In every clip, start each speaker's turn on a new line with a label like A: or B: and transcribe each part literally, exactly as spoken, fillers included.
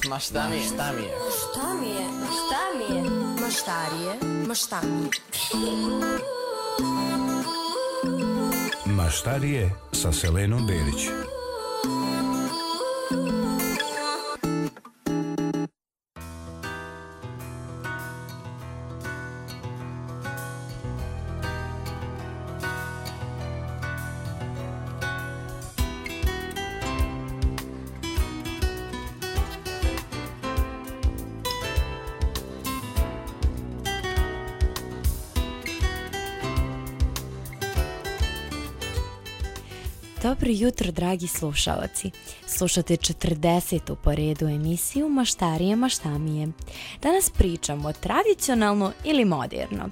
A: Ma šta mi je? Šta mi je?
B: Šta mi je? Šta mi je? Ma štarije? Ma šta mi je?
C: Maštarije sa Selenom Berić.
D: Dobro jutro, dragi slušaoci. Slušate četrdesetu po redu emisiju Maštarije maštamije. Danas pričamo tradicionalno ili moderno.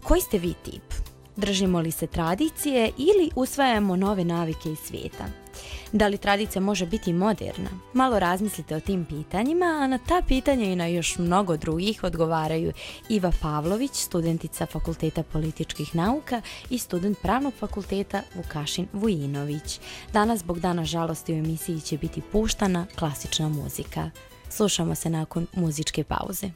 D: Koji ste vi tip? Držimo li se tradicije ili usvajamo nove navike iz svijeta? Da li tradicija može biti moderna? Malo razmislite o tim pitanjima, a na ta pitanja i na još mnogo drugih odgovaraju Iva Pavlović, studentica Fakulteta političkih nauka i student Pravnog fakulteta Vukašin Vujinović. Danas, zbog Dana žalosti, u emisiji će biti puštana klasična muzika. Slušamo se nakon muzičke pauze.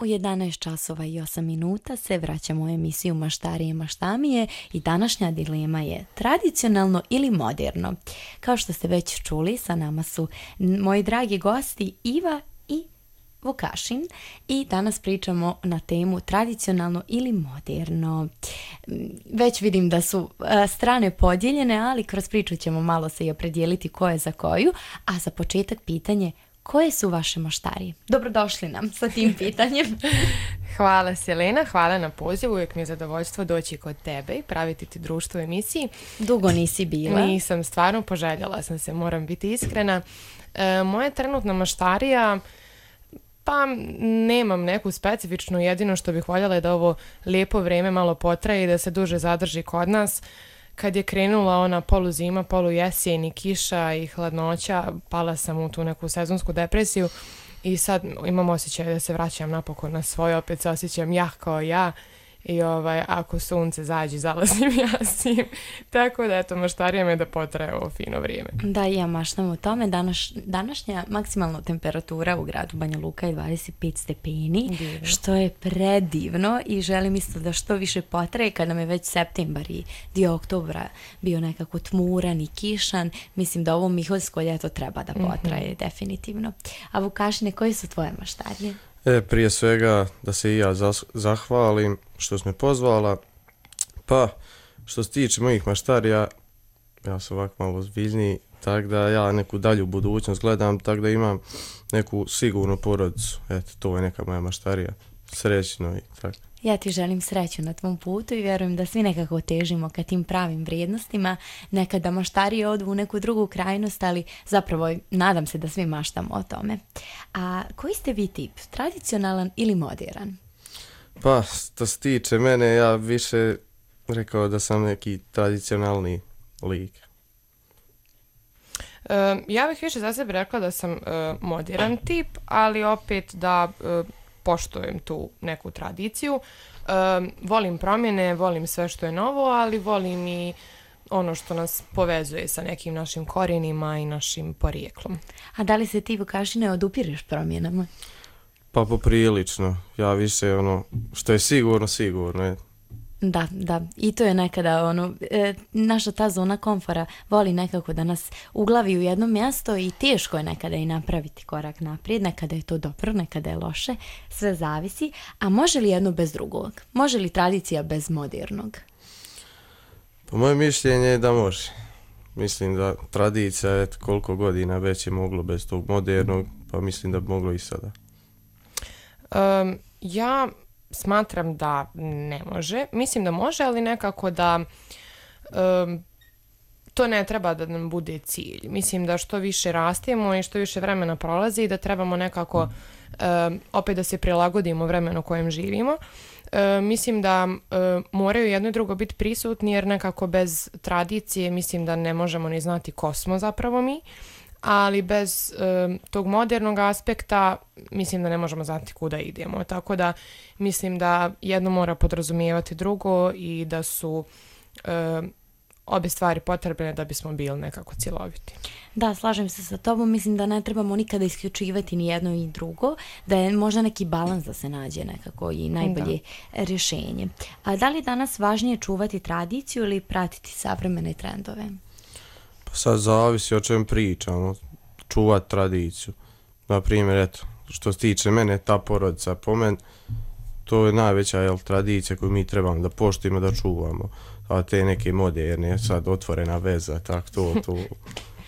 D: U jedanaest časova i osam minuta se vraćamo u emisiju Maštarije maštamije i današnja dilema je tradicionalno ili moderno. Kao što ste već čuli, sa nama su moji dragi gosti Iva i Vukašin i danas pričamo na temu tradicionalno ili moderno. Već vidim da su a, strane podijeljene, ali kroz priču ćemo malo se i opredijeliti ko je za koju, a za početak pitanje: koje su vaše maštarije? Dobrodošli nam sa tim pitanjem.
E: Hvala Selena, hvala na pozivu, uvijek mi je zadovoljstvo doći kod tebe i praviti ti društvo u emisiji.
D: Dugo nisi bila.
E: Nisam, stvarno poželjela sam se, moram biti iskrena. E, moja trenutna maštarija, pa nemam neku specifičnu, jedino što bih voljela je da ovo lijepo vrijeme malo potraje i da se duže zadrži kod nas. Kad je krenula ona poluzima, polujesjen i kiša i hladnoća, pala sam u tu neku sezonsku depresiju i sad imam osjećaj da se vraćam napokon na svoje, opet se osjećam ja kao ja i ovaj, ako sunce zađe, zalazim ja s njim. Tako da, eto, maštarija me da potraje ovo fino vrijeme.
D: Da, i ja maštam o tome. Danas, današnja maksimalna temperatura u gradu Banja Luka je dvadeset pet stepeni, divno, što je predivno i želim isto da što više potraje. Kada nam je već septembar i dio oktobra bio nekako tmuran i kišan, mislim da ovo miholjsko ljeto treba da potraje, mm-hmm, definitivno. A Vukašine, koje su tvoje maštarije?
F: E, prije svega da se i ja zas- zahvalim što si me pozvala. Pa, što se tiče mojih maštarija, ja sam ovako malo ozbiljniji, tako da ja neku dalju budućnost gledam, tako da imam neku sigurnu porodicu. Eto, to je neka moja maštarija. Srećno i tako.
D: Ja ti želim sreću na tvom putu i vjerujem da svi nekako težimo ka tim pravim vrijednostima. Nekada maštarije odu u neku drugu krajnost, ali zapravo nadam se da svi maštamo o tome. A koji ste vi tip? Tradicionalan ili moderan?
F: Pa, što se tiče mene, ja više rekao da sam neki tradicionalni lik.
E: Uh, ja bih više za sebe rekla da sam uh, moderan tip, ali opet da uh, poštujem tu neku tradiciju. Um, volim promjene, volim sve što je novo, ali volim i ono što nas povezuje sa nekim našim korijenima i našim porijeklom.
D: A da li se ti, Vukašine, odupireš promjenama?
F: Pa poprilično. Ja više ono što je sigurno, sigurno je.
D: Da, da. I to je nekada ono, e, naša ta zona komfora voli nekako da nas uglavi u jedno mjesto i teško je nekada i napraviti korak naprijed, nekada je to dobro, nekada je loše, sve zavisi. A može li jedno bez drugog? Može li tradicija bez modernog?
F: Po moje mišljenje je da može. Mislim da tradicija je koliko godina već je moglo bez tog modernog, pa mislim da bi moglo i sada.
E: Um, ja smatram da ne može. Mislim da može, ali nekako da um, to ne treba da nam bude cilj. Mislim da što više rastemo i što više vremena prolazi, da trebamo nekako um, opet da se prilagodimo vremenu u kojem živimo. Uh, mislim da uh, moraju jedno i drugo biti prisutni, jer nekako bez tradicije mislim da ne možemo ni znati ko smo zapravo mi. Ali bez um, tog modernog aspekta mislim da ne možemo znati kuda idemo. Tako da mislim da jedno mora podrazumijevati drugo i da su um, obje stvari potrebne da bismo bili nekako cjeloviti.
D: Da, slažem se sa tobom. Mislim da ne trebamo nikada isključivati ni jedno i drugo, da je možda neki balans da se nađe nekako i najbolje da. rješenje. A da li je danas važnije čuvati tradiciju ili pratiti savremene trendove?
F: Pa sad zavisi o čem pričamo, čuvati tradiciju. Na primjer, eto, što se tiče mene, ta porodica po meni, to je najveća jel, tradicija koju mi trebamo da poštujemo, da čuvamo. A te neke moderne, sad otvorena veza, tak to, to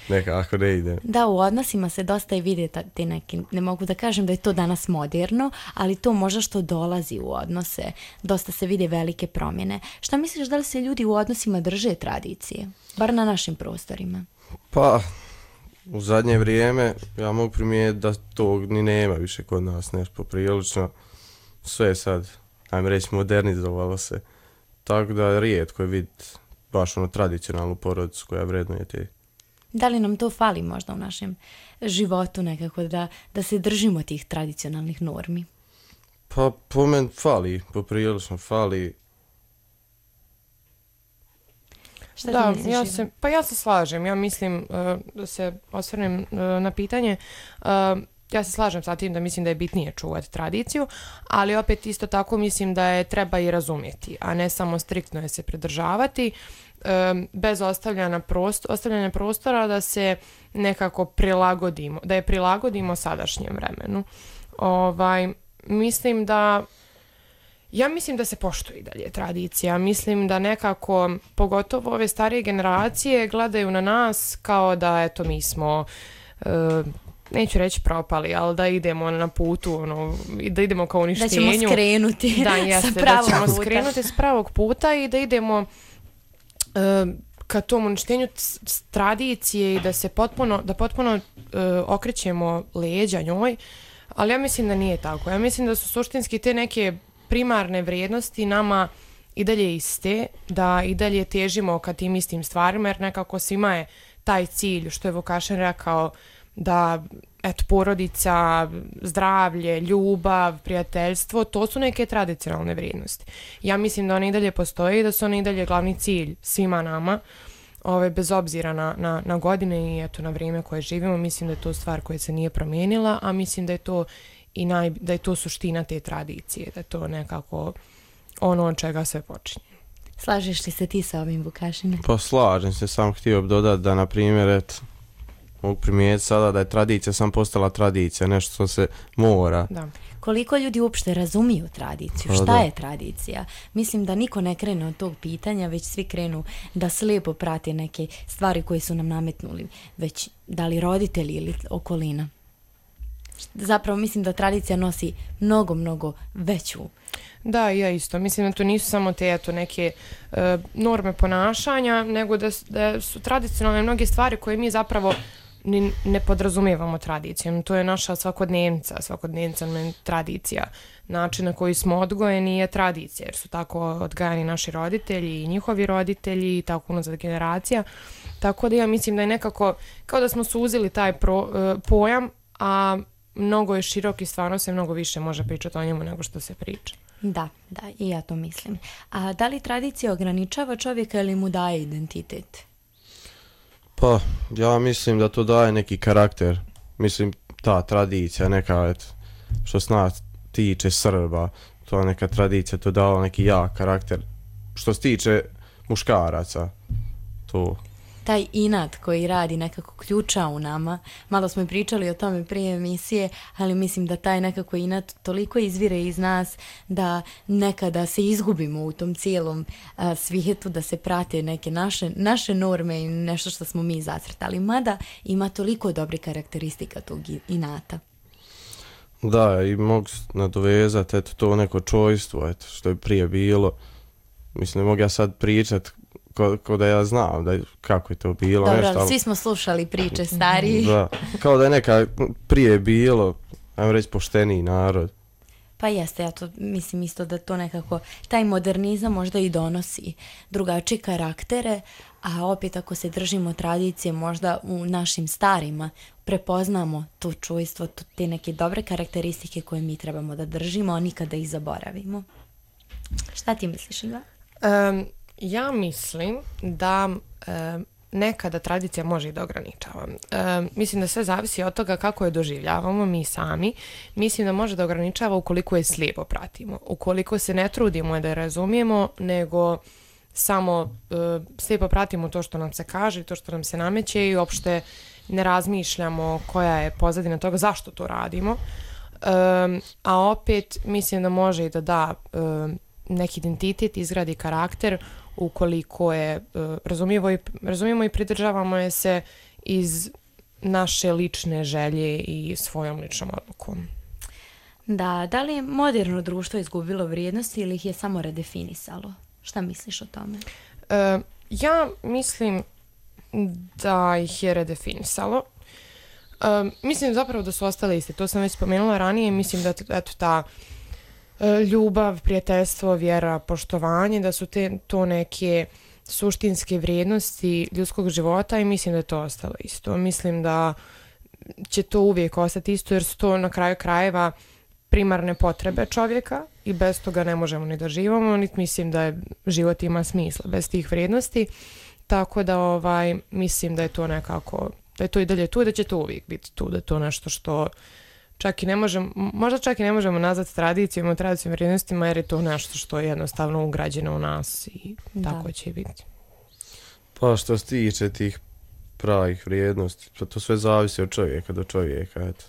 F: nekako ne ide.
D: Da, u odnosima se dosta i vide te neki, ne mogu da kažem da je to danas moderno, ali to možda što dolazi u odnose, dosta se vide velike promjene. Šta misliš, da li se ljudi u odnosima drže tradicije, bar na našim prostorima?
F: Pa, u zadnje vrijeme ja mogu primijetiti da tog ni nema više kod nas, nešto poprilično. Sve sad, ajme reći, modernizovalo se. Tako da rijetko je vidjeti baš ono tradicionalnu porodicu koja vrednuje te.
D: Da li nam to fali možda u našem životu nekako da, da se držimo tih tradicionalnih normi?
F: Pa po meni fali, poprilično fali.
D: Šta
E: da,
D: misliš,
E: ja se, pa ja se slažem. Ja mislim uh, da se osvrnem uh, na pitanje. Uh, ja se slažem sa tim da mislim da je bitnije čuvati tradiciju, ali opet isto tako mislim da je treba i razumjeti, a ne samo striktno je se pridržavati, um, bez ostavljanja, prostor, ostavljanja prostora da se nekako prilagodimo, da je prilagodimo sadašnjem vremenu. Ovaj, mislim da Ja mislim da se poštuje i dalje tradicija. Mislim da nekako, pogotovo ove starije generacije, gledaju na nas kao da, eto, mi smo, e, neću reći propali, ali da idemo na putu, ono, da idemo ka uništenju.
D: Da ćemo skrenuti
E: da, jeste,
D: sa pravog
E: da ćemo
D: puta.
E: skrenuti s pravog puta i da idemo e, ka tom uništenju t- tradicije i da se potpuno, da potpuno e, okrećemo leđa njoj. Ali ja mislim da nije tako. Ja mislim da su suštinski te neke primarne vrijednosti nama i dalje iste, da i dalje težimo ka tim istim stvarima, jer nekako svima je taj cilj, što je Vukašin rekao, da eto, porodica, zdravlje, ljubav, prijateljstvo, to su neke tradicionalne vrijednosti. Ja mislim da one i dalje postoje i da su one i dalje glavni cilj svima nama, ove, bez obzira na, na, na godine i eto, na vrijeme koje živimo. Mislim da je to stvar koja se nije promijenila, a mislim da je to i naj, da je to suština te tradicije, da je to nekako ono od čega sve počinje.
D: Slažeš li se ti sa ovim, Vukašine?
F: Pa slažem se, sam htio bi dodati da, na primjer, eto, mogu primijetiti sada da je tradicija sam postala tradicija, nešto što se mora.
E: Da.
D: Koliko ljudi uopšte razumiju tradiciju?
F: Pa,
D: Šta
F: da.
D: je tradicija? Mislim da niko ne krene od tog pitanja, već svi krenu da slijepo prate neke stvari koje su nam nametnuli, već da li roditelji ili okolina. Zapravo mislim da tradicija nosi mnogo, mnogo veću.
E: Da, ja isto. Mislim da to nisu samo te eto, neke e, norme ponašanja, nego da, da su tradicionalne mnoge stvari koje mi zapravo ni, ne podrazumijevamo tradicijom. To je naša svakodnevnica, svakodnevnica je tradicija. Način na koji smo odgojeni je tradicija, jer su tako odgajani naši roditelji i njihovi roditelji i tako unazad generacija. Tako da ja mislim da je nekako, kao da smo suzili taj pro, e, pojam, a mnogo je širok i stvarno se mnogo više može pričati o njemu nego što se priča.
D: Da, da, i ja to mislim. A da li tradicija ograničava čovjeka ili mu daje identitet?
F: Pa, ja mislim da to daje neki karakter. Mislim, ta tradicija, neka, eto, što se nas tiče Srba, to neka tradicija, to dao neki jak karakter. Što se tiče muškaraca, to...
D: Taj inat koji radi nekako ključa u nama, malo smo i pričali o tome prije emisije, ali mislim da taj nekako inat toliko izvire iz nas da nekada se izgubimo u tom cijelom a, svijetu, da se prate neke naše, naše norme i nešto što smo mi zacrtali. Mada ima toliko dobrih karakteristika tog inata.
F: Da, i mogu nadovezati, eto, to neko čojstvo, eto, što je prije bilo. Mislim, ne mogu ja sad pričat Ko, ko da ja znam da, kako je to bilo.
D: Dobro,
F: nešto,
D: ali svi smo slušali priče stariji.
F: Da, kao da je neka prije bilo, ajmo reći, pošteniji narod.
D: Pa jeste, ja to mislim isto da to nekako, taj modernizam možda i donosi drugačije karaktere, a opet ako se držimo tradicije, možda u našim starima prepoznamo to čujstvo, to, te neke dobre karakteristike koje mi trebamo da držimo, a nikada ih zaboravimo. Šta ti misliš, Iva?
E: Um, Ja mislim da e, nekada tradicija može i da ograničava. E, mislim da sve zavisi od toga kako je doživljavamo mi sami. Mislim da može da ograničava ukoliko je slijepo pratimo. Ukoliko se ne trudimo da je razumijemo, nego samo e, slijepo pratimo to što nam se kaže, to što nam se nameće i uopšte ne razmišljamo koja je pozadina toga, zašto to radimo. E, a opet mislim da može i da da e, neki identitet, izgradi karakter ukoliko je uh, razumijemo, i, razumijemo i pridržavamo je se iz naše lične želje i svojom ličnom odlukom.
D: Da, da li je moderno društvo izgubilo vrijednosti ili ih je samo redefinisalo? Šta misliš o tome?
E: Uh, ja mislim da ih je redefinisalo. Uh, mislim zapravo da su ostale iste. To sam već spomenula ranije. Mislim da eto ta ljubav, prijateljstvo, vjera, poštovanje, da su te, to neke suštinske vrijednosti ljudskog života i mislim da je to ostalo isto. Mislim da će to uvijek ostati isto jer su to na kraju krajeva primarne potrebe čovjeka i bez toga ne možemo ni da živimo, niti mislim da je, život ima smisla bez tih vrijednosti. Tako da ovaj, mislim da je to nekako, da je to i dalje tu i da će to uvijek biti tu, da je to nešto što čak i ne možemo, možda čak i ne možemo nazvati tradicijom, tradicijom vrijednostima, jer je to nešto što je jednostavno ugrađeno u nas i
D: Da.
E: tako će biti.
F: Pa što se tiče tih pravih vrijednosti, pa to sve zavisi od čovjeka do čovjeka, eto.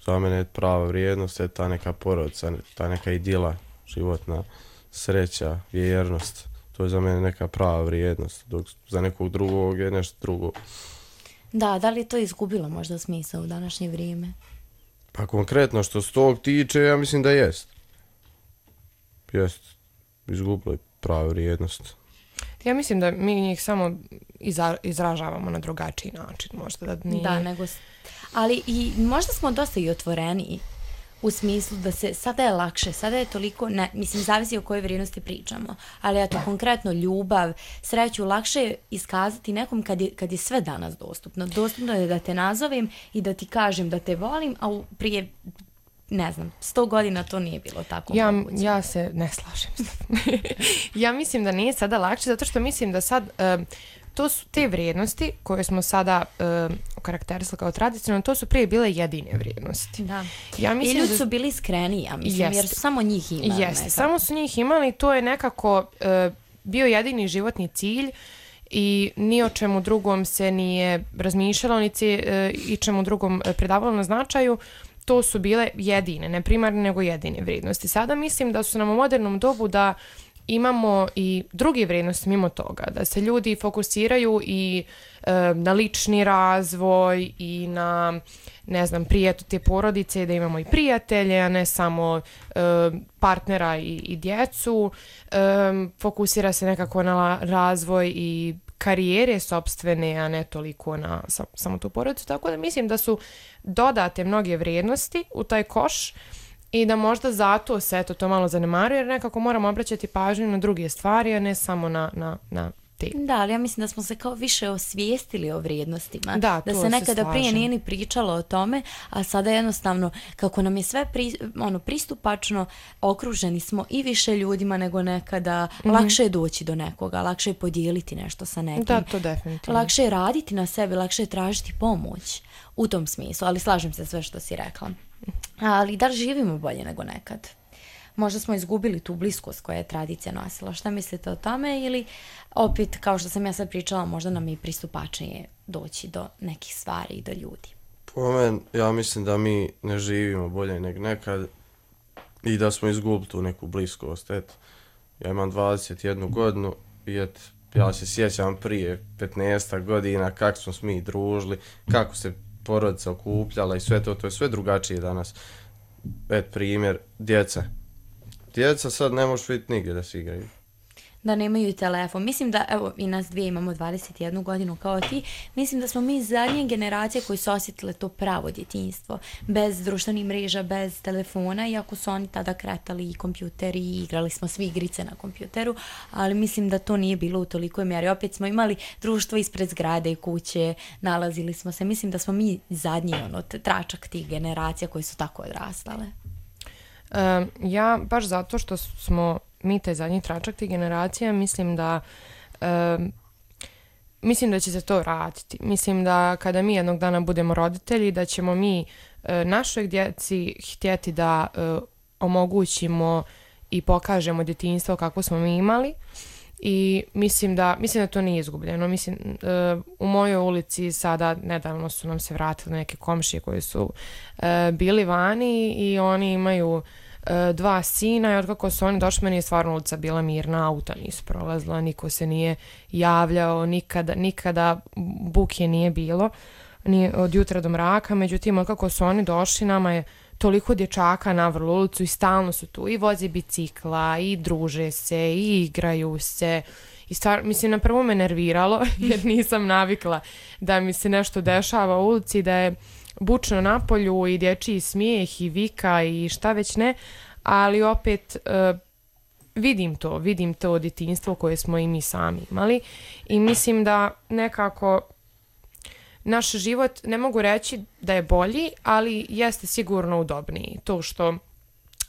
F: Za mene je prava vrijednost, je ta neka porodica, ta neka idila životna, sreća, vjernost. To je za mene neka prava vrijednost, dok za nekog drugog je nešto drugo.
D: Da, da li je to izgubilo možda smisao u današnje vrijeme?
F: Pa konkretno što se tog tiče, ja mislim da jest. Jest, izgubilo je prava vrijednost.
E: Ja mislim da mi njih samo iza, izražavamo na drugačiji način, možda da nije...
D: Da, nego... s- Ali i možda smo dosta i otvoreniji u smislu da se, sada je lakše, sada je toliko, ne, mislim, zavisi o kojoj vrijednosti pričamo, ali eto, konkretno ljubav, sreću, lakše je iskazati nekom kad je, kad je sve danas dostupno. Dostupno je da te nazovem i da ti kažem da te volim, a u- prije, ne znam, sto godina to nije bilo tako
E: Ja,
D: moguće.
E: ja se ne slažem s tobom. Ja mislim da nije sada lakše, zato što mislim da sad um, to su te vrijednosti koje smo sada um, okarakterisali kao tradicionalno, to su prije bile jedine vrijednosti.
D: Da.
E: Ja
D: I
E: mislim
D: ljudi
E: da
D: su bili iskreni, ja mislim, jer
E: Jeste.
D: su samo njih imali.
E: Jeste,
D: nekako.
E: samo su njih imali, to je nekako uh, bio jedini životni cilj i ni o čemu drugom se nije razmišljalo, niti uh, i čemu drugom uh, predavalo na značaju. To su bile jedine, ne primarne, nego jedine vrijednosti. Sada mislim da su nam u modernom dobu da imamo i druge vrijednosti mimo toga, da se ljudi fokusiraju i e, na lični razvoj i na, ne znam, prijetu te porodice, da imamo i prijatelje, a ne samo e, partnera i, i djecu. E, fokusira se nekako na la- razvoj i karijere sopstvene, a ne toliko na sa, samo tu porodicu. Tako da mislim da su dodate mnoge vrijednosti u taj koš i da možda zato se eto, to malo zanemaruje, jer nekako moramo obraćati pažnju na druge stvari, a ne samo na, na, na te.
D: Da, ali ja mislim da smo se kao više osvijestili o vrijednostima.
E: Da, to
D: se
E: se
D: nekada prije
E: slažem.
D: nije ni pričalo o tome, a sada jednostavno, kako nam je sve pri, ono, pristupačno, okruženi smo i više ljudima nego nekada, lakše je doći do nekoga, lakše je podijeliti nešto sa nekim.
E: Da, to definitivno.
D: Lakše je raditi na sebi, lakše je tražiti pomoć u tom smislu, ali slažem se sve što si rekla. Ali da li živimo bolje nego nekad? Možda smo izgubili tu bliskost koja je tradicija nosila. Šta mislite o tome? Ili opet, kao što sam ja sad pričala, možda nam je i pristupačnije doći do nekih stvari i do ljudi.
F: Po meni, ja mislim da mi ne živimo bolje nego nekad i da smo izgubili tu neku bliskost. Eto, ja imam dvadeset jednu godinu i eto, ja se sjećam prije petnaest godina kako smo se mi družili, kako se porodica okupljala i sve to, to je sve drugačije danas. Eto, primjer, djeca. Djeca sad ne možeš vidjeti nigdje da se igraju.
D: Da nemaju telefon. Mislim da, evo, i nas dvije imamo dvadeset jednu godinu kao ti, mislim da smo mi zadnje generacije koji su osjetile to pravo djetinjstvo. Bez društvenih mreža, bez telefona, iako su oni tada kretali i kompjuteri i igrali smo svi igrice na kompjuteru, ali mislim da to nije bilo u tolikoj mjeri. Opet smo imali društvo ispred zgrade i kuće, nalazili smo se. Mislim da smo mi zadnji, ono, t- tračak tih generacija koji su tako odrastale.
E: Um, ja, baš zato što smo mi taj zadnji tračak tih generacija, mislim da um, mislim da će se to vratiti. Mislim da kada mi jednog dana budemo roditelji, da ćemo mi uh, našoj djeci htjeti da uh, omogućimo i pokažemo djetinjstvo kako smo mi imali. I mislim da, mislim da to nije izgubljeno. Mislim, uh, u mojoj ulici sada nedavno su nam se vratili neke komšije koji su uh, bili vani i oni imaju uh, dva sina i otkako su oni došli, meni je stvarno ulica bila mirna, auta nisu prolazila, niko se nije javljao, nikada, nikada buke nije bilo, ni od jutra do mraka. Međutim, otkako su oni došli, nama je toliko dječaka navrlo ulicu i stalno su tu i voze bicikla i druže se i igraju se i stvar, mislim, na prvo me nerviralo jer nisam navikla da mi se nešto dešava u ulici, da je bučno napolju i dječji smijeh i vika i šta već ne, ali opet uh, vidim to, vidim to djetinjstvo koje smo i mi sami imali i mislim da nekako naš život, ne mogu reći da je bolji, ali jeste sigurno udobniji. To što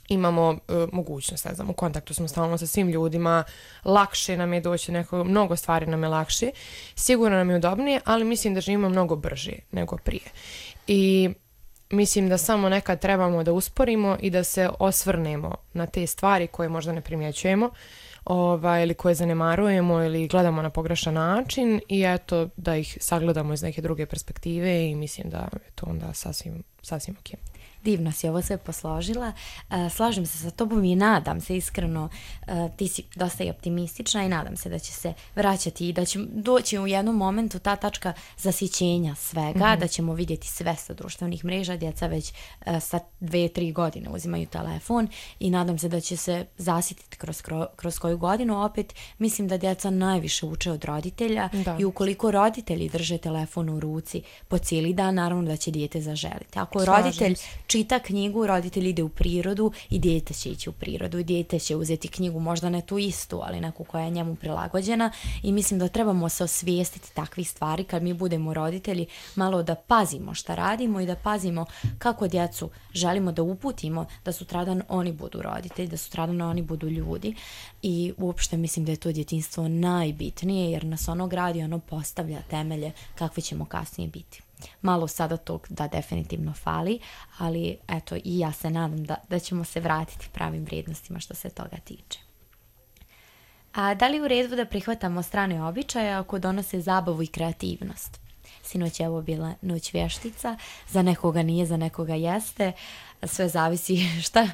E: imamo uh, mogućnost, ne znam, u kontaktu smo stalno sa svim ljudima, lakše nam je doći neko, mnogo stvari nam je lakše, sigurno nam je udobnije, ali mislim da živimo mnogo brže nego prije. I mislim da samo nekad trebamo da usporimo i da se osvrnemo na te stvari koje možda ne primjećujemo, ovaj, ili koje zanemarujemo ili gledamo na pogrešan način i eto da ih sagledamo iz neke druge perspektive i mislim da je to onda sasvim, sasvim ok.
D: Divno si ovo sve posložila. Uh, slažem se sa tobom i nadam se iskreno, uh, ti si dosta i optimistična i nadam se da će se vraćati i da će doći u jednom momentu ta tačka zasićenja svega, mm-hmm. da ćemo vidjeti sve sa društvenih mreža, djeca već uh, sa dve, tri godine uzimaju telefon i nadam se da će se zasititi kroz, kroz koju godinu. Opet mislim da djeca najviše uče od roditelja da. I ukoliko roditelji drže telefon u ruci po cijeli dan, naravno da će dijete zaželiti. Ako Slažem roditelj se. Čita knjigu, roditelj ide u prirodu i dijete će ići u prirodu i dijete će uzeti knjigu, možda ne tu istu, ali neku koja je njemu prilagođena i mislim da trebamo se osvijestiti takvih stvari kad mi budemo roditelji, malo da pazimo šta radimo i da pazimo kako djecu želimo da uputimo da sutradan oni budu roditelji, da sutradan oni budu ljudi i uopšte mislim da je to djetinjstvo najbitnije jer nas ono gradi, ono postavlja temelje kakve ćemo kasnije biti. Malo sada tog da definitivno fali, ali eto i ja se nadam da, da ćemo se vratiti pravim vrijednostima što se toga tiče. A da li je u redu da prihvatamo strane običaje ako donose zabavu i kreativnost? Sinoć je ovo bila noć vještica, za nekoga nije, za nekoga jeste, sve zavisi šta,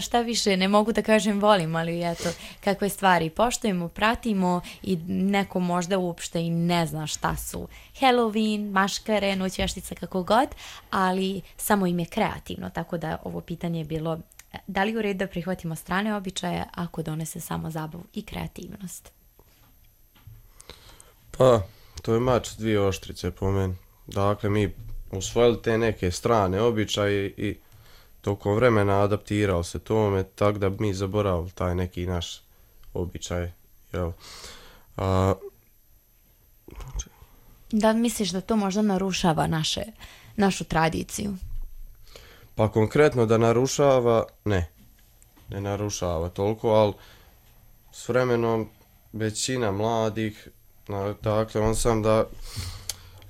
D: šta više, ne mogu da kažem volim, ali eto, kakve stvari poštujemo, pratimo i neko možda uopšte i ne zna šta su Halloween, maškare, noć vještica, kako god, ali samo im je kreativno, tako da ovo pitanje je bilo da li u redu da prihvatimo strane običaje ako donese samo zabavu i kreativnost?
F: Pa, to je mač dvije oštrice po meni. Dakle, mi usvojili te neke strane običaje i tokom vremena adaptirao se tome, tako da mi zaboravili taj neki naš običaj. Jel? A...
D: Da misliš da to možda narušava naše, našu tradiciju?
F: Pa konkretno da narušava, ne. Ne narušava toliko, ali s vremenom većina mladih, na, dakle, on sam da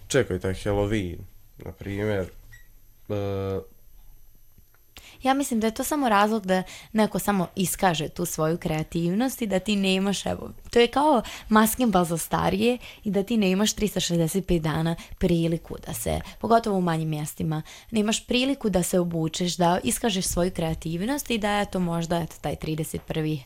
F: čekaj taj Halloween, na primjer, e,
D: ja mislim da je to samo razlog da neko samo iskaže tu svoju kreativnost i da ti nemaš, evo, to je kao maskenbal za starije i da ti nemaš tristo šezdeset pet dana priliku da se, pogotovo u manjim mjestima, nemaš priliku da se obučeš, da iskažeš svoju kreativnost i da je to možda eto, taj trideset prvi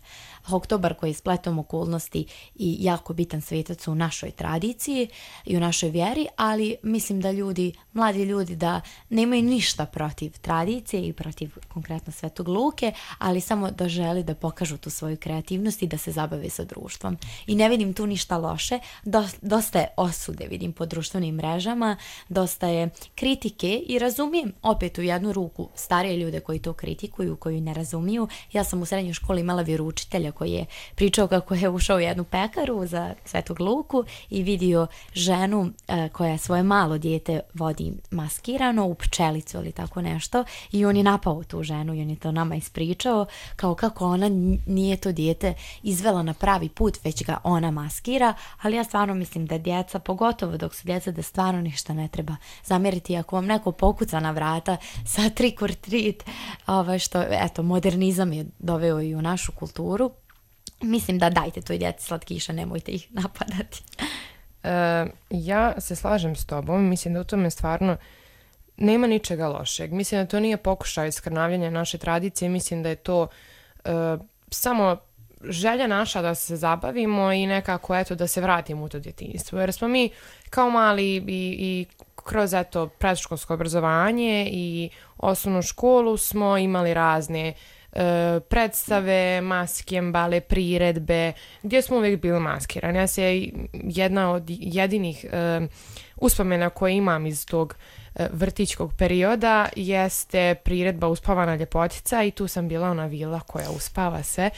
D: oktobar koji je spletom okolnosti i jako bitan svetac u našoj tradiciji i u našoj vjeri, ali mislim da ljudi, mladi ljudi da nemaju ništa protiv tradicije i protiv konkretno Svetog Luke, ali samo da želi da pokažu tu svoju kreativnost i da se zabave sa društvom. I ne vidim tu ništa loše, dosta je osude vidim po društvenim mrežama, dosta je kritike i razumijem opet u jednu ruku starije ljude koji to kritikuju, koji ne razumiju. Ja sam u srednjoj školi imala vjeroučitelja koji je pričao kako je ušao u jednu pekaru za Svetog Luku i vidio ženu e, koja svoje malo dijete vodi maskirano u pčelicu ili tako nešto i on je napao tu ženu i on je to nama ispričao kao kako ona nije to dijete izvela na pravi put, već ga ona maskira, ali ja stvarno mislim da djeca, pogotovo dok su djeca, da stvarno ništa ne treba zamjeriti ako vam neko pokuca na vrata sa trick or treat, ovaj, što eto modernizam je doveo i u našu kulturu. Mislim da dajte toj djeci slatkiša, nemojte ih napadati.
E: E, ja se slažem s tobom, mislim da u tome stvarno nema ničega lošeg. Mislim da to nije pokušaj skrnavljanja naše tradicije, mislim da je to e, samo želja naša da se zabavimo i nekako eto da se vratimo u to djetinjstvo. Jer smo mi kao mali i, i kroz eto predškolsko obrazovanje i osnovnu školu smo imali razne predstave, maskembale, priredbe, gdje smo uvijek bili maskirani. Ja se jedna od jedinih uh, uspomena koje imam iz tog uh, vrtićkog perioda jeste priredba Uspavana ljepotica i tu sam bila ona vila koja uspava sve.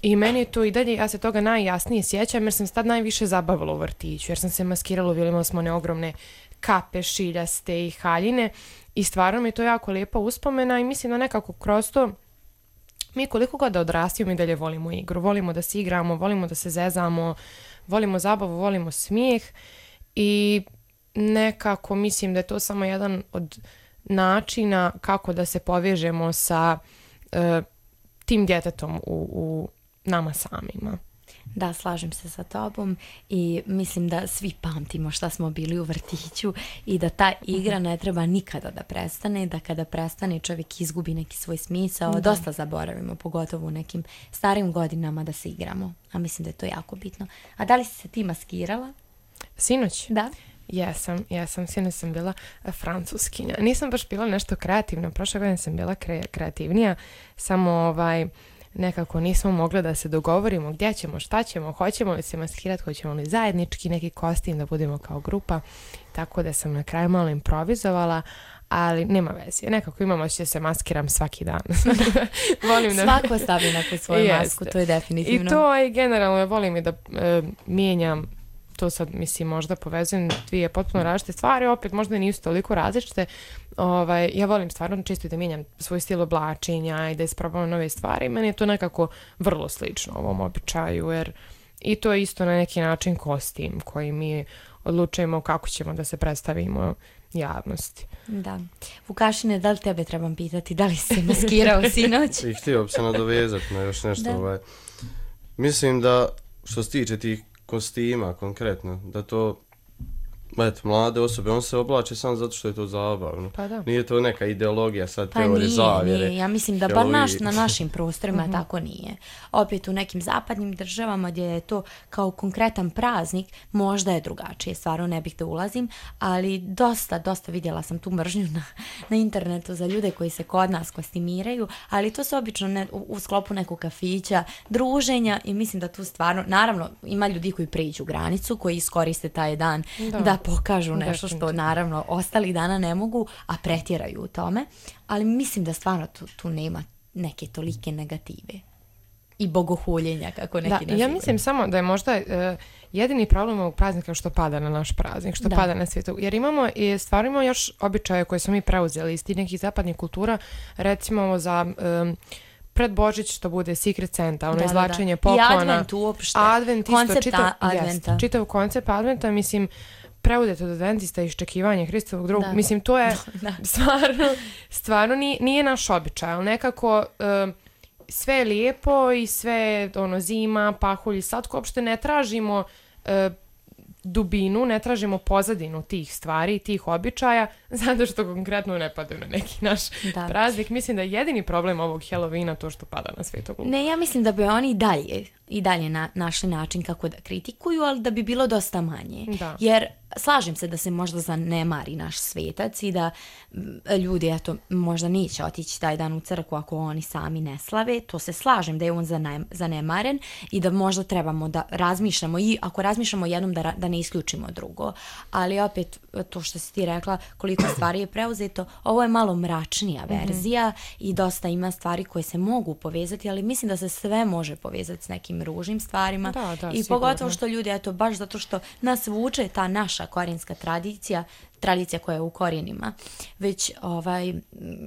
E: I meni je to i dalje, ja se toga najjasnije sjećam jer sam se tad najviše zabavila u vrtiću, jer sam se maskirala, imali smo one ogromne kape, šiljaste i haljine i stvarno mi je to jako lijepa uspomena i mislim da nekako kroz to mi koliko god da odrastimo i dalje volimo igru, volimo da se igramo, volimo da se zezamo, volimo zabavu, volimo smijeh i nekako mislim da je to samo jedan od načina kako da se povežemo sa e, tim djetetom u, u nama samima.
D: Da, slažem se sa tobom i mislim da svi pamtimo šta smo bili u vrtiću i da ta igra ne treba nikada da prestane, da kada prestane čovjek izgubi neki svoj smisao, da. Dosta zaboravimo, pogotovo u nekim starim godinama da se igramo, a mislim da je to jako bitno. A da li si se ti maskirala?
E: Sinoć?
D: Da.
E: Jesam, jesam, sinoć sam bila francuskinja. Nisam baš bila nešto kreativna, prošle godine sam bila kre, kreativnija, samo ovaj... nekako nismo mogli da se dogovorimo gdje ćemo, šta ćemo, hoćemo li se maskirati, hoćemo li zajednički neki kostim da budemo kao grupa, tako da sam na kraju malo improvizovala, ali nema veze, nekako imamo da će se maskiram svaki dan. Volim da...
D: Svako stavi neku svoju masku, to je definitivno.
E: I to i generalno volim i da e, mijenjam, to sad mislim možda povezujem dvije potpuno različite stvari, opet možda nisu toliko različite. Ovaj, ja volim stvarno čisto da mijenjam svoj stil oblačenja i da isprobavam nove stvari. Meni je to nekako vrlo slično ovom običaju, jer i to je isto na neki način kostim koji mi odlučujemo kako ćemo da se predstavimo javnosti.
D: Da. Vukašine, da li tebe trebam pitati, da li si se maskirao sinoć?
F: I htio bi se nadovezati na još nešto. Ovaj. Mislim da što se tiče tih kostima konkretno, da to eto, mlade osobe, on se oblače samo zato što je to zabavno.
E: Pa da.
F: Nije to neka ideologija, sad
D: pa
F: teorije
D: nije,
F: zavjere.
D: Nije. Ja mislim da bar naš, na našim prostorima uh-huh. tako nije. Opet u nekim zapadnim državama gdje je to kao konkretan praznik, možda je drugačije, stvarno ne bih da ulazim, ali dosta, dosta vidjela sam tu mržnju na, na internetu za ljude koji se kod nas kostimiraju, ali to se obično ne, u, u sklopu nekog kafića, druženja i mislim da tu stvarno, naravno ima ljudi koji prijeđu granicu, koji iskoriste taj dan da, da pokažu nešto što naravno ostalih dana ne mogu, a pretjeraju u tome, ali mislim da stvarno tu, tu nema neke tolike negative i bogohuljenja kako neki
E: da, ja mislim samo da je možda uh, jedini problem ovog praznika što pada na naš praznik, što da. pada na svijetu, jer imamo i stvarno imamo još običaje koje smo mi preuzeli iz tih nekih zapadnih kultura, recimo za um, pred Božić što bude Secret Santa, ono da, izvlačenje
D: da, da.
E: poklona.
D: I Advent uopšte.
E: Advent isto,
D: koncept
E: čitav,
D: Adventa.
E: Jest, čitav koncept Adventa, mislim, preuzet od Adventista iščekivanje Hristovog drugog. Mislim, to je da. stvarno, stvarno nije, nije naš običaj, ali nekako uh, sve je lijepo i sve ono, zima, pahulj i slatko, uopšte ne tražimo uh, dubinu, ne tražimo pozadinu tih stvari, tih običaja, zato što konkretno ne padaju na neki naš da. praznik. Mislim da je jedini problem ovog Halloweena to što pada na Svetog Luka.
D: Ne, ja mislim da bi oni dalje i dalje na, našli način kako da kritikuju, ali da bi bilo dosta manje.
E: Da.
D: Jer slažem se da se možda zanemari naš svetac i da ljudi eto, možda neće otići taj dan u crkvu ako oni sami ne slave. To se slažem da je on zanemaren i da možda trebamo da razmišljamo i ako razmišljamo jednom da, da ne isključimo drugo. Ali opet to što si ti rekla koliko stvari je preuzeto, ovo je malo mračnija verzija mm-hmm. i dosta ima stvari koje se mogu povezati, ali mislim da se sve može povezati s nekim ružnim stvarima
E: da, da,
D: i sigurno. Pogotovo što ljudi, eto, baš zato što nas vuče ta naša korijenska tradicija, tradicija koja je u korijenima već ovaj,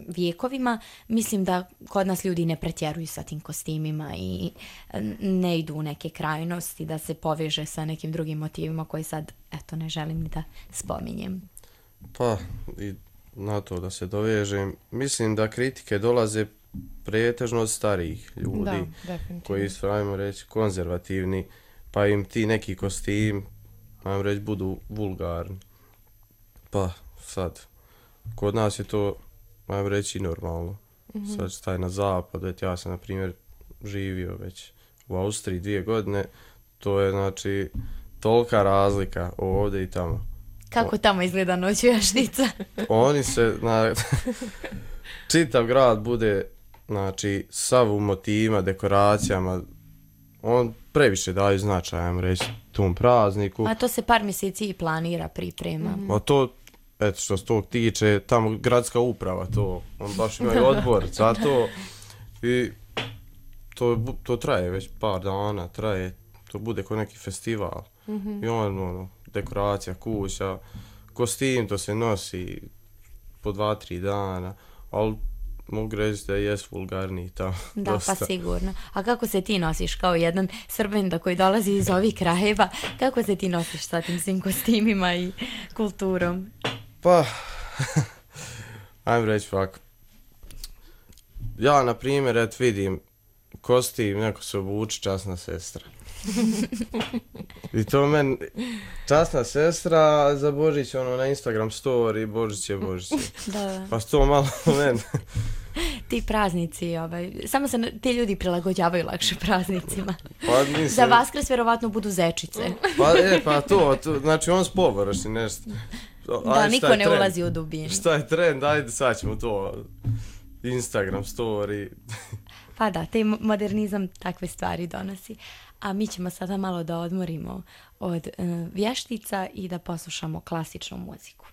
D: vijekovima, mislim da kod nas ljudi ne pretjeruju sa tim kostimima i ne idu u neke krajnosti da se poveže sa nekim drugim motivima koji sad, eto, ne želim ni da spominjem.
F: Pa, i na to da se dovežem, mislim da kritike dolaze pretežno od starijih ljudi
E: da,
F: koji su, ajmo reći, konzervativni, pa im ti neki kostim, ajmo reći, budu vulgarni. Pa sad, kod nas je to, ajmo reći, normalno. Mm-hmm. Sad staj na zapad, već ja sam, na primjer, živio već u Austriji dvije godine, to je, znači, tolika razlika ovdje i tamo.
D: Kako tamo izgleda noć vještica?
F: Oni se, na, čitav grad bude, znači, sav u motivima, dekoracijama, on previše daju značaj, ajmo reći, tom prazniku.
D: A to se par mjeseci i planira, priprema.
F: Mm. A to, eto što se tog tiče, tamo gradska uprava to, on baš imaju odbor za to i to, to traje već par dana, traje, to bude kao neki festival. Mm-hmm. I on, ono, dekoracija kuća, kostim, to se nosi po dva, tri dana, ali mogu reći da je vulgarniji tamo.
D: Da,
F: dosta.
D: Pa sigurno. A kako se ti nosiš kao jedan Srbin koji dolazi iz ovih krajeva? Kako se ti nosiš sa tim svim kostimima i kulturom?
F: Pa, ajmo reći ovak. Ja, na primjer, et vidim kostim, neko se obuči, časna sestra. I to meni, časna sestra, za Božić, ono, na Instagram story, Božić je, Božić je.
D: Da.
F: Pa to malo meni.
D: Ti praznici, ovaj, samo se na- ti ljudi prilagođavaju lakše praznicima.
F: Pa, mislim,
D: Za Vaskrs vjerovatno budu zečice.
F: Pa, e, pa to, to znači on s površi nešto.
D: Da,
F: Ajde,
D: niko
F: šta je
D: ne
F: trend?
D: ulazi u dubinu.
F: Šta je trend, ajde sad ćemo to, Instagram story.
D: Pa da, taj mo- modernizam takve stvari donosi. A mi ćemo sada malo da odmorimo od e, vještica i da poslušamo klasičnu muziku.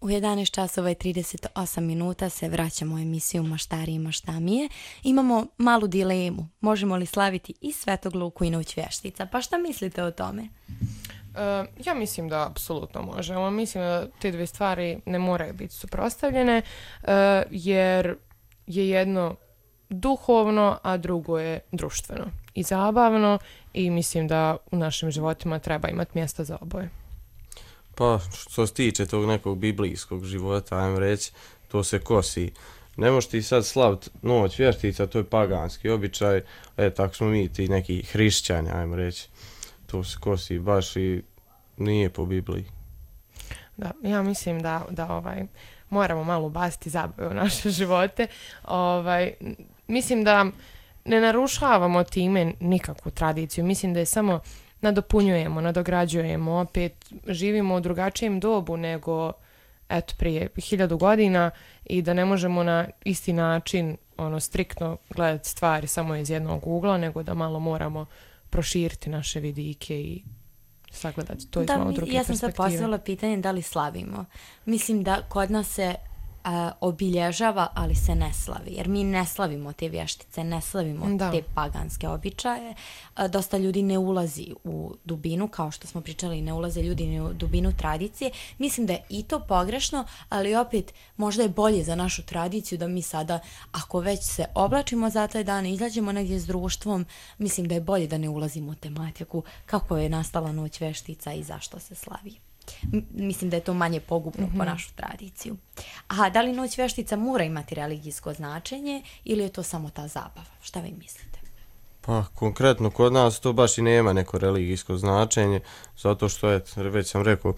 D: U jedanaest časova i trideset osam minuta se vraćamo u emisiju Maštarije i maštamije. Imamo malu dilemu. Možemo li slaviti i Svetog Luku i Noć vještica? Pa šta mislite o tome?
E: Uh, ja mislim da apsolutno možemo. Mislim da te dvije stvari ne moraju biti suprotstavljene, uh, jer je jedno duhovno, a drugo je društveno i zabavno i mislim da u našim životima treba imati mjesta za oboje.
F: Pa, što se tiče tog nekog biblijskog života, ajmo reći, to se kosi ne možeš ti sad slavit noć vještica, to je paganski običaj, e, tako smo mi ti neki hrišćani, ajmo reći. To se kosi baš i nije po Bibliji.
E: Da, ja mislim da, da ovaj, moramo malo ubaciti zabave u naše živote. Ovaj, mislim da ne narušavamo time nikakvu tradiciju. Mislim da je samo nadopunjujemo, nadograđujemo. Opet živimo u drugačijem dobu nego eto, prije hiljadu godina i da ne možemo na isti način ono, striktno gledati stvari samo iz jednog ugla, nego da malo moramo proširiti naše vidike i sagledati to iz
D: Da,
E: malo
D: mi-
E: druge
D: ja sam sad
E: perspektive.
D: postavila pitanje da li slavimo. Mislim da kod nas se a, obilježava, ali se ne slavi. Jer mi ne slavimo te vještice, ne slavimo
E: Da.
D: te paganske običaje. A, dosta ljudi ne ulazi u dubinu, kao što smo pričali, ne ulaze ljudi ni u dubinu tradicije. Mislim da je i to pogrešno, ali opet možda je bolje za našu tradiciju da mi sada, ako već se oblačimo za taj dan, izađemo negdje s društvom, mislim da je bolje da ne ulazimo u tematiku kako je nastala noć veštica i zašto se slavi. M- mislim da je to manje pogubno po našu tradiciju. Aha, da li noć veštica mora imati religijsko značenje ili je to samo ta zabava? Šta vi mislite?
F: Pa konkretno kod nas to baš i nema neko religijsko značenje, zato što, et, već sam rekao,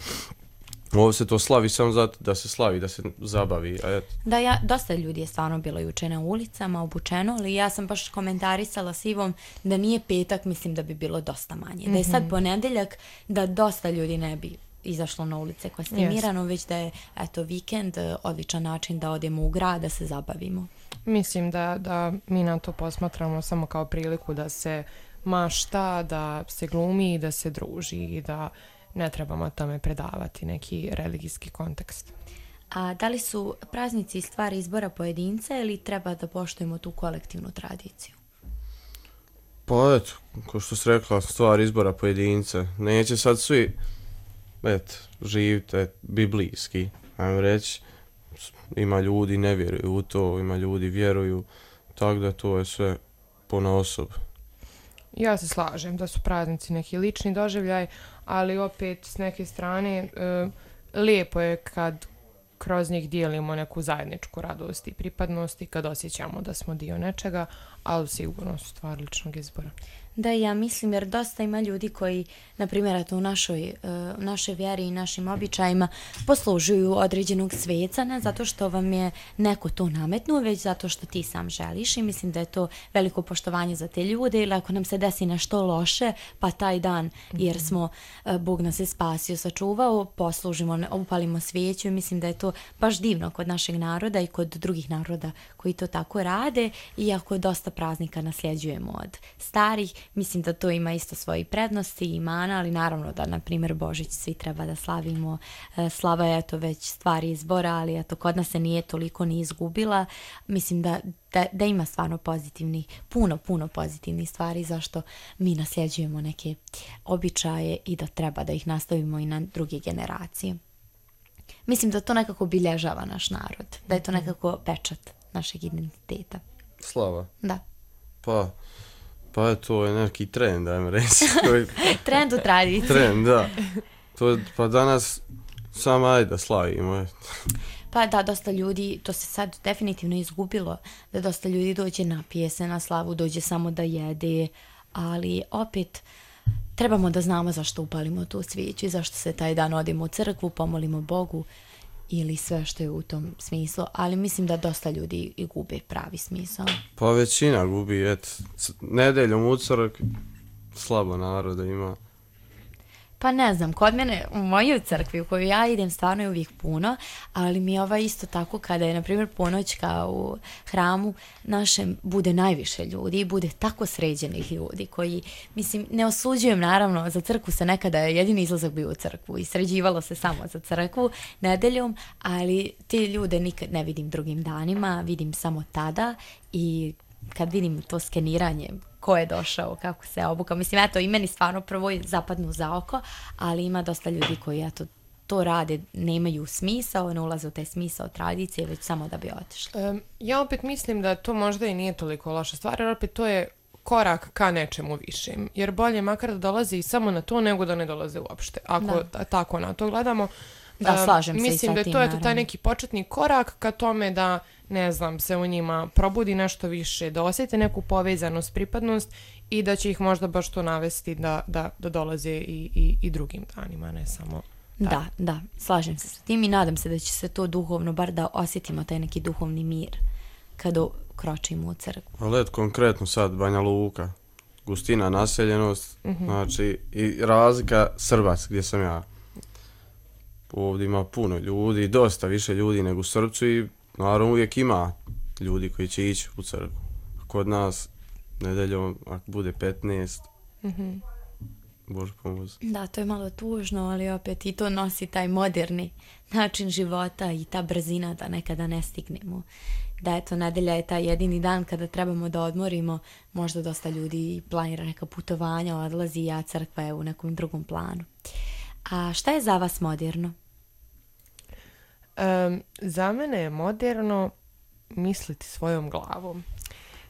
F: ovo se to slavi samo zato da se slavi, da se zabavi, a et,
D: Da, ja, dosta ljudi je stvarno bilo juče na ulicama, obučeno, ali ja sam baš komentarisala s Ivom da nije petak, mislim da bi bilo dosta manje. Da je sad ponedeljak, da dosta ljudi ne bi izašlo na ulice kostimirano, već da je eto, vikend e, odličan način da odemo u grad, da se zabavimo.
E: Mislim da, da mi na to posmatramo samo kao priliku da se mašta, da se glumi i da se druži i da ne trebamo tome predavati neki religijski kontekst.
D: A da li su praznici stvar izbora pojedinca ili treba da poštujemo tu kolektivnu tradiciju?
F: pa eto, ko što si rekla, stvar izbora pojedinca. Neće sad svi, et, živite et, biblijski, ajmo reći. Ima ljudi ne vjeruju u to, ima ljudi vjeruju, tako da to je sve ponaosob.
E: Ja se slažem da su praznici neki lični doživljaj, ali opet s neke strane e, lijepo je kad kroz njih dijelimo neku zajedničku radost i pripadnost i kad osjećamo da smo dio nečega, ali sigurno su stvar ličnog izbora.
D: Da, ja mislim, jer dosta ima ljudi koji, na primjer, eto, u našoj, uh, našoj vjeri i našim običajima poslužuju određenog sveca, ne zato što vam je neko to nametnuo, već zato što ti sam želiš i mislim da je to veliko poštovanje za te ljude ili ako nam se desi nešto loše, pa taj dan, jer smo, uh, Bog nas je spasio, sačuvao, poslužimo, ne- upalimo svijeću i mislim da je to baš divno kod našeg naroda i kod drugih naroda koji to tako rade, iako dosta praznika nasljeđujemo od starih. Mislim da to ima isto svoje prednosti i mana, ali naravno da, na primjer, Božić svi treba da slavimo. E, Slava je to već stvar izbora, ali eto, kod nas se nije toliko ni izgubila. Mislim da, da, da ima stvarno pozitivnih, puno, puno pozitivnih stvari zašto mi nasljeđujemo neke običaje i da treba da ih nastavimo i na druge generacije. Mislim da to nekako obilježava naš narod, da je to nekako pečat našeg identiteta.
F: Slava.
D: Da.
F: Pa, pa je to je neki trend, ajmo reći. Koji-
D: Trend u tradiciji.
F: Trend, da. To, je- pa danas samo ajde da slavimo. et.
D: Pa da, dosta ljudi, to se sad definitivno izgubilo, da dosta ljudi dođe napije se na slavu, dođe samo da jede, ali opet trebamo da znamo zašto upalimo tu svijeću i zašto se taj dan odemo u crkvu, pomolimo Bogu ili sve što je u tom smislu, ali mislim da dosta ljudi i gube pravi smisao.
F: Pa većina gubi, et, c- nedeljom u crk, slabo naroda ima.
D: Pa ne znam, kod mene u mojoj crkvi u koju ja idem stvarno je uvijek puno, ali mi je ova isto tako kada je, na primjer, ponoćka u hramu našem bude najviše ljudi i bude tako sređenih ljudi koji, mislim, ne osuđujem naravno, za crkvu se nekada je jedini izlazak bio u crkvu i sređivalo se samo za crkvu nedeljom, ali te ljude nikad ne vidim drugim danima, vidim samo tada i kad vidim to skeniranje ko je došao, kako se obukao. Mislim, eto, i meni stvarno prvo zapadnu za oko, ali ima dosta ljudi koji, eto, to rade, nemaju smisao, ne ulaze u taj smisao tradicije, već samo da bi otišli.
E: Um, ja opet mislim da to možda i nije toliko loša stvar, jer opet to je korak ka nečemu višem. Jer bolje makar da dolazi samo na to nego da ne dolaze uopšte. Ako
D: Da.
E: ta- tako na to gledamo.
D: Da,
E: Um,
D: slažem se i
E: mislim
D: sa
E: da je
D: tim,
E: to eto, taj
D: naravno.
E: neki početni korak ka tome da, ne znam, se u njima probudi nešto više, da osjete neku povezanost, pripadnost i da će ih možda baš to navesti da, da, da dolaze i, i, i drugim danima, ne samo...
D: Da, da, slažem se sa tim i nadam se da će se to duhovno, bar da osjetimo taj neki duhovni mir kada kročimo u crkvu.
F: Ali eto, konkretno sad Banja Luka, gustina naseljenost,
E: Mhm.
F: znači i razlika Srbac gdje sam ja. Ovdje ima puno ljudi, dosta više ljudi nego u Srbcu i naravno uvijek ima ljudi koji će ići u crkvu. Kod nas nedeljom, ako bude petnaest,
E: Mhm.
F: Bože pomozi.
D: Da, to je malo tužno, ali opet i to nosi taj moderni način života i ta brzina da nekada ne stignemo. Da, eto, nedelja je taj jedini dan kada trebamo da odmorimo, možda dosta ljudi planira neka putovanja, odlazi, a crkva je u nekom drugom planu. A šta je za vas moderno?
E: Um, za mene je moderno misliti svojom glavom.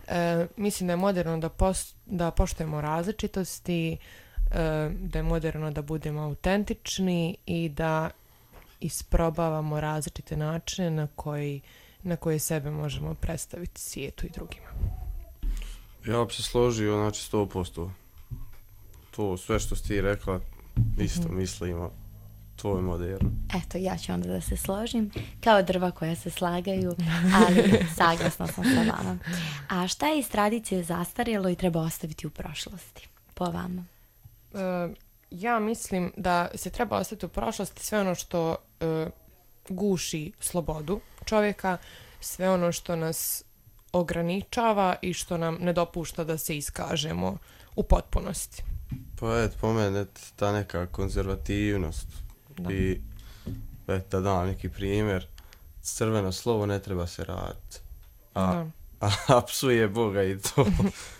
E: E, mislim da je moderno da, pos, da poštujemo različitosti, e, da je moderno da budemo autentični i da isprobavamo različite načine na koji, na koje sebe možemo predstaviti svijetu i drugima.
F: Ja bi se složio, znači sto posto. To sve što si ti rekla, isto mislimo. To je moderno.
D: Eto, ja ću onda da se složim, kao drva koja se slagaju, ali saglasna sam sa vama. A šta je iz tradicije zastarjelo i treba ostaviti u prošlosti, po vama?
E: E, ja mislim da se treba ostaviti u prošlosti sve ono što e, guši slobodu čovjeka, sve ono što nas ograničava i što nam ne dopušta da se iskažemo u potpunosti.
F: Pa et, po mene et, ta neka konzervativnost.
E: Da.
F: I et, da dam neki primjer, crveno slovo ne treba se raditi. A,
E: Da.
F: a, a psuje Boga i to.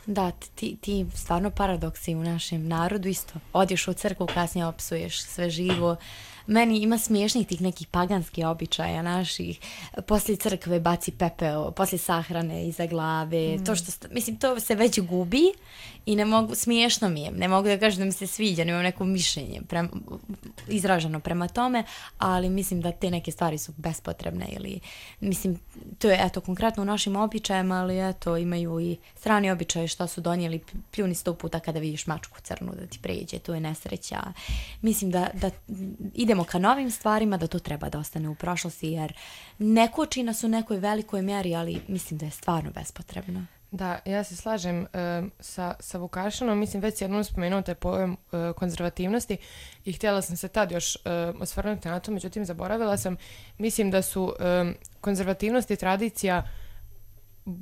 D: Da, ti, ti stvarno paradoksi u našem narodu isto. Odješ u crkvu, kasnije opsuješ sve živo. Meni ima smiješnih tih nekih paganskih običaja naših. Poslije crkve baci pepeo, poslije sahrane iza glave. Mm. To što, st- mislim, to se već gubi i ne mogu, smiješno mi je. Ne mogu da kažem da mi se sviđa, nemam neko mišljenje prema, izraženo prema tome, ali mislim da te neke stvari su bespotrebne ili, mislim, to je eto konkretno u našim običajima, ali eto imaju i strani običaje što su donijeli, pljuni sto puta kada vidiš mačku crnu da ti pređe, to je nesreća. Mislim da, da idemo ka novim stvarima, da to treba da ostane u prošlosti, jer ne koči nas u nekoj velikoj mjeri, ali mislim da je stvarno bespotrebno.
E: Da, ja se slažem uh, sa, sa Vukašinom, mislim već jednom spomenuo taj pojam uh, konzervativnosti i htjela sam se tad još uh, osvrnuti na to, međutim zaboravila sam. Mislim da su um, konzervativnost i tradicija uh,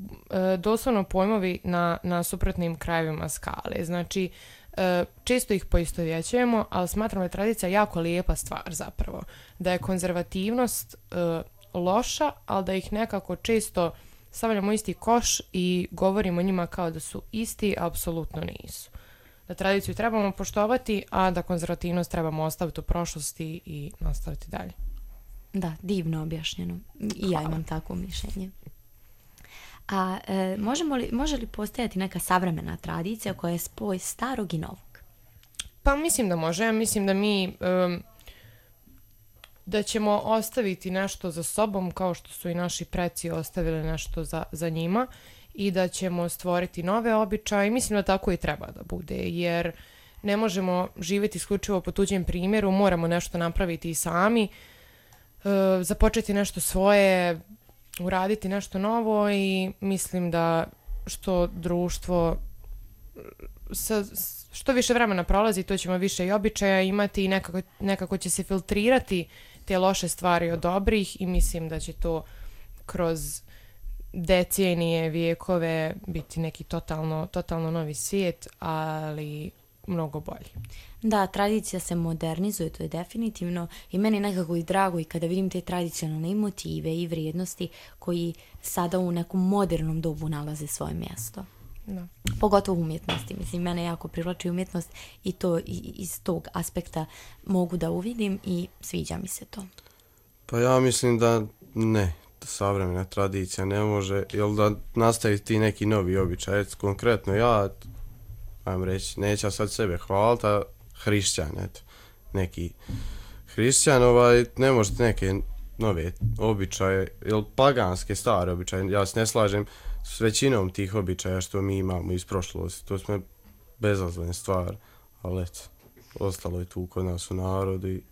E: doslovno pojmovi na, na suprotnim krajevima skale. Znači, uh, često ih poistovjećujemo, ali smatram da je tradicija jako lijepa stvar zapravo. Da je konzervativnost uh, loša, ali da ih nekako često stavljamo isti koš i govorimo o njima kao da su isti, a apsolutno nisu. Da tradiciju trebamo poštovati, a da konzervativnost trebamo ostaviti u prošlosti i nastaviti dalje.
D: Da, divno objašnjeno. I ja imam takvo mišljenje. A e, možemo li, može li postojati neka savremena tradicija koja je spoj starog i novog?
E: Pa mislim da može. Mislim da mi um, da ćemo ostaviti nešto za sobom kao što su i naši preci ostavili nešto za, za njima i da ćemo stvoriti nove običaje. Mislim da tako i treba da bude, jer ne možemo živjeti isključivo po tuđem primjeru, moramo nešto napraviti i sami, uh, započeti nešto svoje, uraditi nešto novo i mislim da što društvo sa, što više vremena prolazi, to ćemo više i običaja imati i nekako, nekako će se filtrirati te loše stvari od dobrih i mislim da će to kroz decenije, vijekove biti neki totalno, totalno novi svijet, ali mnogo bolji.
D: Da, tradicija se modernizuje, to je definitivno i meni nekako i drago i kada vidim te tradicionalne motive i vrijednosti koji sada u nekom modernom dobu nalaze svoje mjesto.
E: Da.
D: Pogotovo umjetnosti. Mislim, mene jako privlači umjetnost i to i, iz tog aspekta mogu da uvidim i sviđa mi se to.
F: Pa ja mislim da ne, savremena tradicija ne može, jel da nastavi ti neki novi običaj. Konkretno ja, ajmo reći, neću sad sebe hvaliti, a hrišćan, eto, neki hrišćan, ovaj, ne možete neke nove običaje, ili paganske stare običaje, ja se ne slažem s većinom tih običaja što mi imamo iz prošlosti, to smo bezazlene stvari, ali eto, ostalo je tu kod nas u narodu i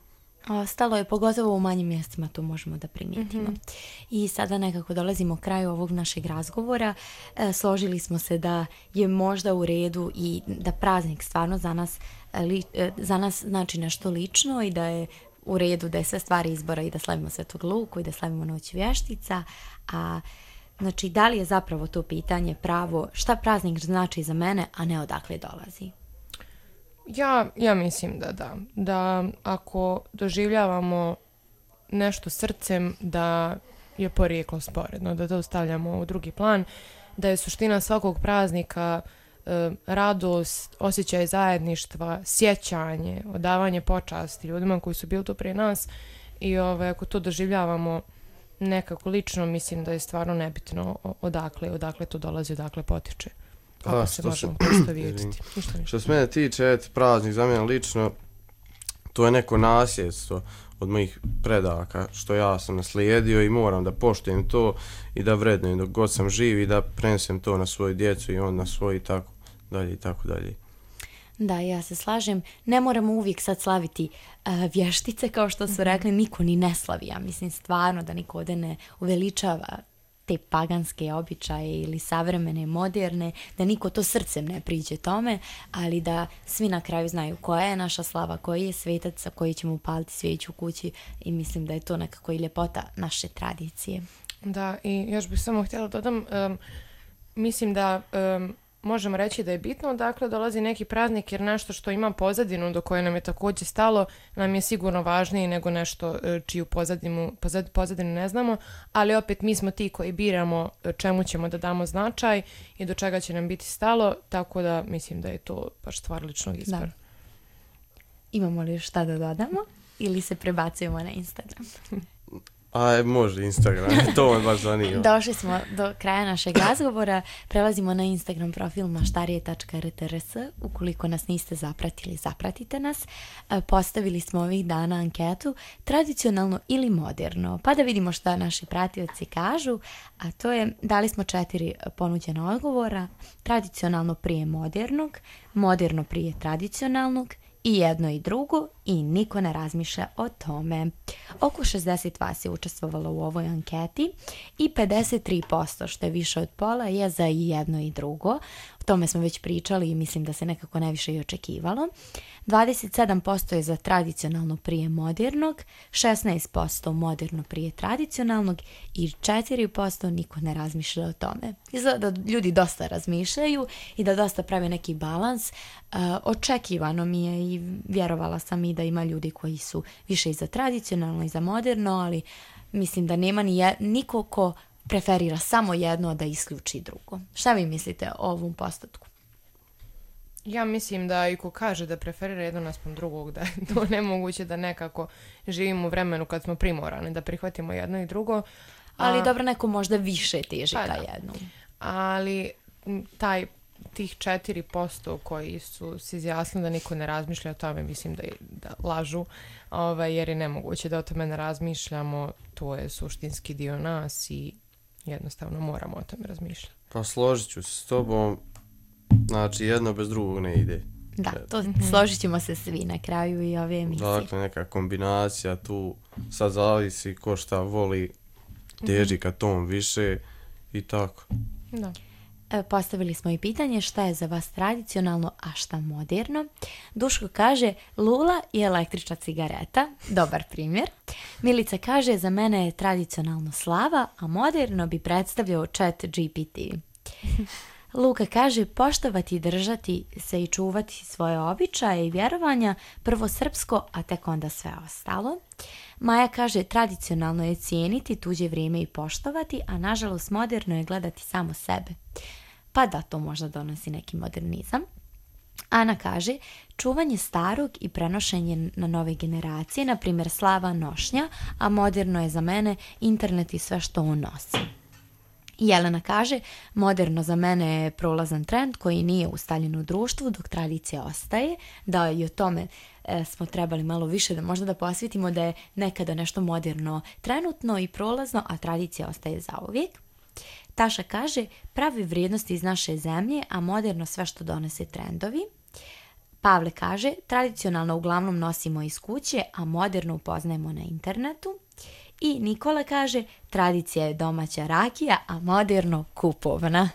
D: Ostalo je, pogotovo u manjim mjestima, to možemo da primijetimo. Mm-hmm. I sada nekako dolazimo kraju ovog našeg razgovora. E, složili smo se da je možda u redu i da praznik stvarno za nas, li, za nas znači nešto lično i da je u redu da je sve stvari izbora i da slavimo Svetog Luku i da slavimo Noć vještica. A znači, da li je zapravo to pitanje pravo šta praznik znači za mene, a ne odakle dolazi?
E: Ja, ja mislim da da. Da ako doživljavamo nešto srcem, da je porijeklo sporedno, da to stavljamo u drugi plan, da je suština svakog praznika e, radost, osjećaj zajedništva, sjećanje, odavanje počasti ljudima koji su bili tu prije nas i ovaj, ako to doživljavamo nekako lično, mislim da je stvarno nebitno odakle, odakle to dolazi, odakle potiče. Ako A, se možemo prosto vidjeti.
F: Što se mene tiče, et, praznik za mene lično, to je neko nasljedstvo od mojih predaka, što ja sam naslijedio i moram da poštujem to i da vrednujem dok god sam živ i da prenesem to na svoju djecu i on na svoj i tako dalje i tako dalje.
D: Da, ja se slažem. Ne moramo uvijek sad slaviti uh, vještice, kao što su rekli, niko ni ne slavi. Ja mislim stvarno da niko ovdje ne uveličava te paganske običaje ili savremene, moderne, da niko to srcem ne priđe tome, ali da svi na kraju znaju koja je naša slava, koji je svetac sa koji ćemo upaliti svijeću u kući i mislim da je to nekako i ljepota naše tradicije.
E: Da, i još bih samo htjela dodam, um, mislim da um, možemo reći da je bitno odakle dolazi neki praznik jer nešto što ima pozadinu do koje nam je također stalo nam je sigurno važnije nego nešto čiju pozadinu, pozad, pozadinu ne znamo, ali opet mi smo ti koji biramo čemu ćemo da damo značaj i do čega će nam biti stalo, tako da mislim da je to baš stvar ličnog izbora. Da.
D: Imamo li šta da dodamo ili se prebacujemo na Instagram?
F: Aj, može Instagram, to me baš zanima.
D: Došli smo do kraja našeg razgovora, prelazimo na Instagram profil maštarije tačka r t r s, ukoliko nas niste zapratili, zapratite nas. Postavili smo ovih dana anketu, tradicionalno ili moderno, pa da vidimo šta naši pratioci kažu, a to je, dali smo četiri ponuđena odgovora, tradicionalno prije modernog, moderno prije tradicionalnog, i jedno i drugo i niko ne razmišlja o tome. Oko šezdeset vas je učestvovalo u ovoj anketi i pedeset tri posto, što je više od pola, je za i jedno i drugo. O tome smo već pričali i mislim da se nekako najviše i očekivalo. dvadeset sedam posto je za tradicionalno prije modernog, šesnaest posto moderno prije tradicionalnog i četiri posto niko ne razmišlja o tome. Izgleda da ljudi dosta razmišljaju i da dosta prave neki balans. Uh, očekivano mi je i vjerovala sam i da ima ljudi koji su više i za tradicionalno i za moderno, ali mislim da nema ni je, niko ko preferira samo jedno da isključi drugo. Šta vi mislite o ovom postotku?
E: Ja mislim da i ko kaže da preferira jedno naspram drugog, da je to nemoguće da nekako živimo u vremenu kad smo primorani da prihvatimo jedno i drugo.
D: Ali
E: A,
D: dobro, neko možda više teži ka jednom.
E: Ali taj, tih četiri posto koji su se izjasnili da niko ne razmišlja o tome, mislim da, da lažu, ovaj, jer je nemoguće da o tome ne razmišljamo, to je suštinski dio nas i jednostavno moramo o tome razmišljati.
F: Pa složit ću se s tobom, znači jedno bez drugog ne ide.
D: Da, to mm-hmm. složit ćemo se svi na kraju i ove emisije.
F: Dakle, neka kombinacija tu, sad zavisi ko šta voli, teži ka tom više i tako.
E: Da.
D: Postavili smo i pitanje šta je za vas tradicionalno, a šta moderno. Duško kaže lula i električna cigareta, dobar primjer. Milica kaže za mene je tradicionalno slava, a moderno bi predstavljao chat G P T. Luka kaže poštovati, držati se i čuvati svoje običaje i vjerovanja, prvo srpsko, a tek onda sve ostalo. Maja kaže tradicionalno je cijeniti tuđe vrijeme i poštovati, a nažalost moderno je gledati samo sebe. Pa da, to možda donosi neki modernizam. Ana kaže čuvanje starog i prenošenje na nove generacije, na primjer slava nošnja, a moderno je za mene internet i sve što on nosi. Jelena kaže, moderno za mene je prolazan trend koji nije ustaljen u društvu dok tradicija ostaje, da i o tome e, smo trebali malo više da možda da posvetimo da je nekada nešto moderno trenutno i prolazno, a tradicija ostaje zauvijek. Taša kaže, pravi vrijednosti iz naše zemlje, a moderno sve što donese trendovi. Pavle kaže, tradicionalno uglavnom nosimo iz kuće, a moderno upoznajemo na internetu. I Nikola kaže, tradicija je domaća rakija, a moderno kupovna.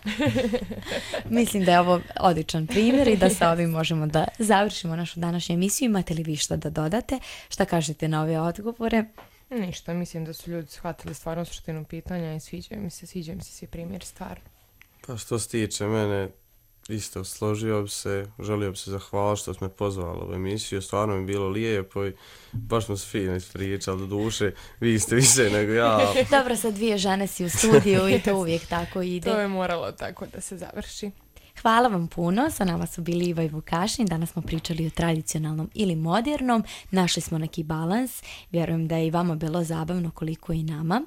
D: Mislim da je ovo odličan primjer i da sa ovim možemo da završimo našu današnju emisiju. Imate li vi što da dodate? Šta kažete na ove odgovore?
E: Ništa, mislim da su ljudi shvatili stvarno suštinu pitanja i sviđaju mi se, sviđaju mi se svi primjeri stvarno.
F: Pa što se tiče mene, isto složio bi se, želio bi se zahvaliti što smo me pozvali u emisiju, stvarno mi je bilo lijepo i baš smo se fino ispričali, do duše, vi ste više nego ja.
D: Dobro, sa dvije žene si u studiju i to uvijek tako ide.
E: To je moralo tako da se završi.
D: Hvala vam puno, sa nama su bili Iva i Vukašin, danas smo pričali o tradicionalnom ili modernom, našli smo neki balans, vjerujem da je i vama bilo zabavno koliko i nama.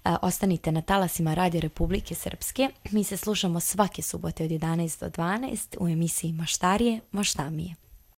D: E, ostanite na talasima Radio Republike Srpske, mi se slušamo svake subote od jedanaest do dvanaest u emisiji Maštarije, Maštamije.